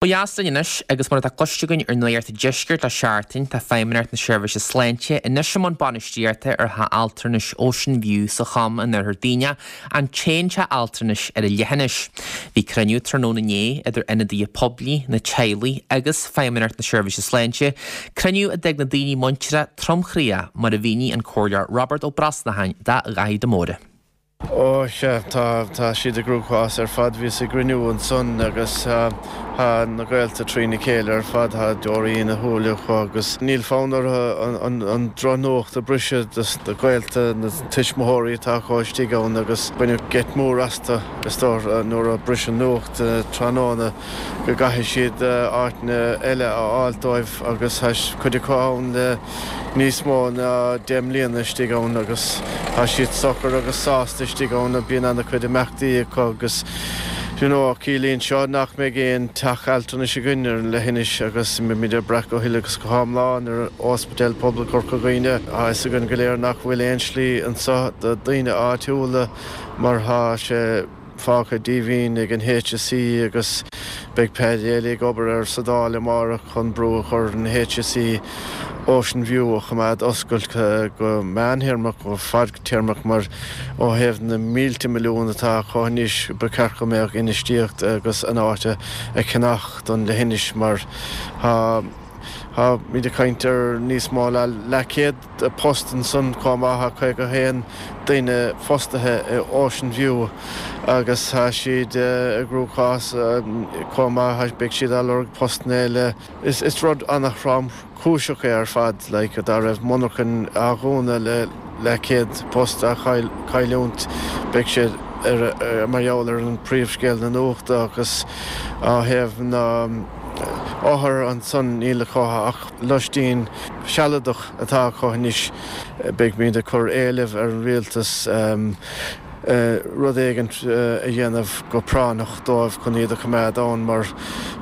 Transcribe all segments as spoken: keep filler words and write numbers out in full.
Ó dheas linn anois agus mar atá cloiste againn ar Nuacht an Deiscirt le seachtain tá Feidhmeannacht na Seirbhíse Sláinte anois i mbun bainistíochta ar theach altranais Ocean View sa Chom in Oirthear Dhuibhneach, an t-aon teach altranais ar an leithinis. Bhí cruinniú tráthnóna inné idir ionadaithe poiblí, na teaghlaigh agus Feidhmeannacht na Seirbhíse Sláinte, cruinniú a d'fhág na daoine muinteartha tromchroíoch mar a mhínigh an Comhairleoir Robert Ó Brosnacháin do Dhaithí de Mórdha. Ó sea, tá tá siad i gcruachás ar fad bhíos ag cruinniú ansan agus tá na gaolta trína chéile ar fad tá deoraí ina shúile acu agus níl fonn orthu an an drochnuacht a bhriseadh dos na gaolta na tuismitheoirí atá acu istigh ann agus baineadh geit mór astu is dóigh nuair a briseadh nuacht tráthnóna go gcaithfidh siad áiteanna eile a fháil dóibh agus tá cuid acu ann le níos mó ná deich mbliana istigh ann agus tá siad socair agus sásta istigh ann bíonn an-chuid imeachtaí acu agus you know ciallaíonn seo nach mbeidh aon teach altranais againn ar an leithinis agus beimid ag brath go huile agus go hiomlán ar Ospidéal Pobail Chorca Dhuibhne. Tá fhios againn go léir nach bhfuil aon slí anseo do daoine áitiúla mar tá sé fágtha díomhaoin ag an HSE agus beidh Paddy Daly ag obair ar sa Dáil amárach chun brú a chur an HSE Ocean View a choimeád oscailte go meántéarmach go fadtéarmach mar ó thaobh na mílte milliún atá acu anois ba cheart go mbeadh infheistíocht agus an áit a cheannach don leithinis mar tá Tá muid ag caint ar níos mó ná leathchéad post ansan chomh maith caoga haon duine fostaithe i Ocean View agus tá siad i gcruachás chomh maith beidh siad á lorg postanna eile. Is is rud an-thromchúiseach é ar fad like dá raibh monarchan á dhúnadh le leathchéad post a chailliúint beidh sé ar mar gheall ar an príomhscéal na nuachta agus á thaobh na othair ansan níl acu ach lóistín sealadach atá acu anois beidh muid ag cur éilimh ar an rialtas rud éigin a dhéanamh go práinneach dóibh chun iad a choimeád ann mar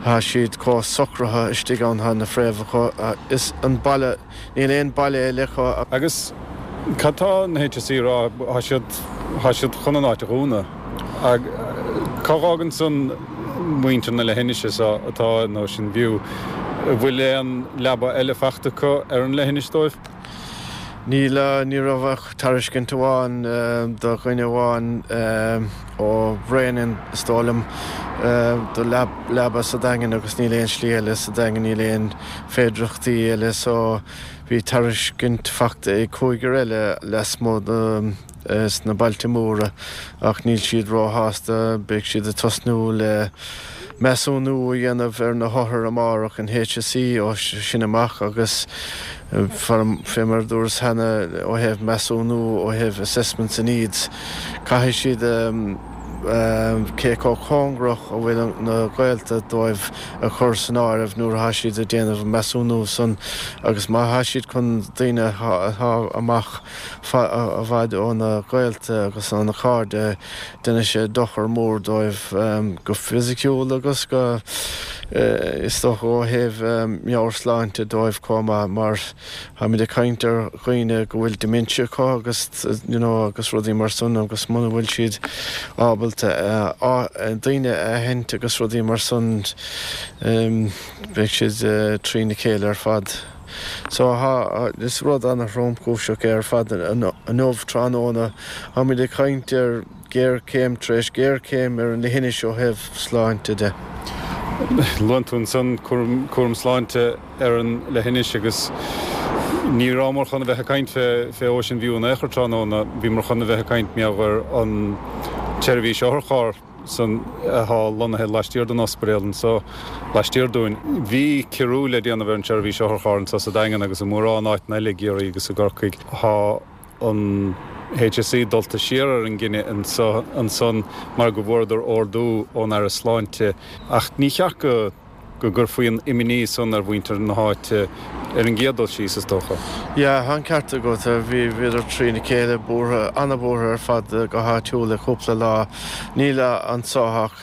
tá siad chomh socraithe istigh ann tá na fréamhacha is an baile níl aon baile eile acu. Agus cad tá na HSE rá tá siad tá siad chun an áit a dhúnadh. Cá bhfágann san muintir na leithinise seo atá in Ocean View, bhfuil aon leaba eile faighte acu ar an leithinis dóibh? Níl ní raibh ach tairiscint amháin do dhuine amháin ó Bhréanainn is dóigh liom do leaba sa Daingean agus níl aon slí eile sa Daingean níl aon féidearthachtaí eile so bhí tairiscint faighte ag cúigear eile lasmuigh sna bailte móra ach níl siad róshásta beidh siad ag tosnú le measúnú a dhéanamh ar na hothair amárach an HSE ó sin amach agus fé mar dúras cheana ó thaobh measúnú ó thaobh assessments and needs caithfidh siad cé chomh cóngarach a bhfuil na gaolta dóibh a chur san áireamh nuair atá siad ag déanamh measúnú san agus má tá siad chun daoine atá amach i bhfad ó na gaolta agus ó na cairde déanfaidh sé dochar mór dóibh go fisiciúil agus go is dócha ó thaobh meabhairshláinte dóibh chomh maith mar táimid ag caint ar dhaoine go bhfuil dementia acu agus you know agus rudaí mar san agus muna bhfuil siad ábalta daoine a aithint agus rudaí mar san beidh siad trína chéile ar fad. So ha is rud an-thromchúiseach é ar fad inniu tráthnóna táimid ag caint ar géarchéim tar éis géarchéim ar an leithinis ó thaobh sláinte de. Luann tú ansan cúram sláinte ar an leithinis agus ní rabhamar chun a bheith ag caint fé fé Ocean View in aon chor tráthnóna, bhíomar chun a bheith ag caint mar gheall ar an tseirbhís otharcharr san atá lonnaithe laistiar den ospidéal anseo laistiar dúinn. Bhí ciorrú le déanamh ar an tseirbhís otharcharr anseo sa Daingean agus i mórán áiteanna eile i gCiarraí agus i gCorcaigh. Tá an HSE dulta siar ar an gcinneadh anseo ansan mar go bhfuaireadar ordú ón Aire Sláinte ach ní cheart go go gcuirfí an imní san ar mhuintir na háite ar an gcéad dul síos, is dócha. Yeah, tá an ceart agat, bhí bhíodar trína chéile, buartha, an-bhuartha ar fad go háitiúil le cúpla lá. Níl anso ach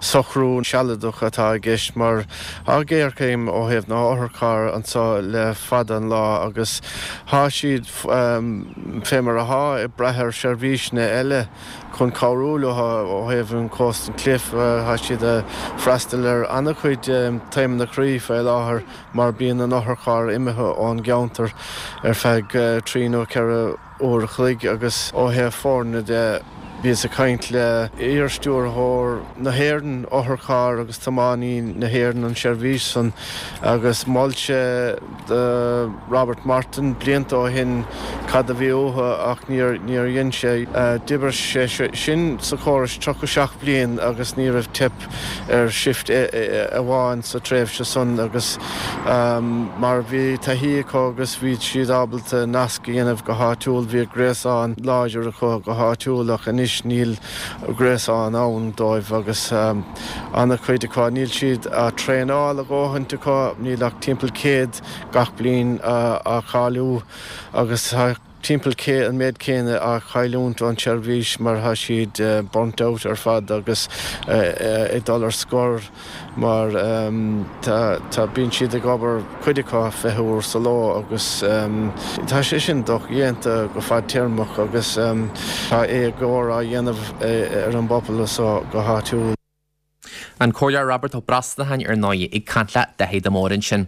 socrú sealadach atá i gceist mar tá géarchéim ó thaobh na n-otharcharr anso le fada an lá agus tá siad fé mar atá ag brath ar seirbhíseanna eile chun cabhrú leo ó thaobh an Coast and Cliff. Tá siad ag freastal ar an-chuid taomanna croí fé láthair mar bíonn an otharcharr imithe ón gceantar ar feadh trí nó ceithre uair a chloig agus ó thaobh foirne de bhíos ag caint le iar-stiúrthóir na hÉireann otharcharr agus tiománaí na hÉireann an seirbhís san agus mhol sé do Robert Martin blianta ó shin cad a bhí uathu ach níor níor dhein sé. D'oibir sé sin sa chóras tríocha seacht bliain agus ní raibh teip ar shift amháin sa tréimhse san agus mar bhí taithí acu agus bhí siad ábalta nasc a dhéanamh go háitiúil, bhí gréasán láidir acu go háitiúil ach anois níl gréasán ann dóibh agus an-chuid acu, níl siad á traenáil a dhóthaint acu, níl ach timpeall céad gach bliain á cháiliú agus tá timpeall an méid céanna á chailliúint ón tseirbhís mar tá siad burnt out ar fad agus ag dul ar scor mar tá bíonn siad ag obair cuid acu fiche uair sa ló agus tá sé sin dodhéanta go fadtéarmach agus tá éagóir á dhéanamh ar an bpobal so go háitiúil. An Comhairleoir Robert Ó Brosnacháin ar ndóigh ag caint le Dáithí de Mór ansin.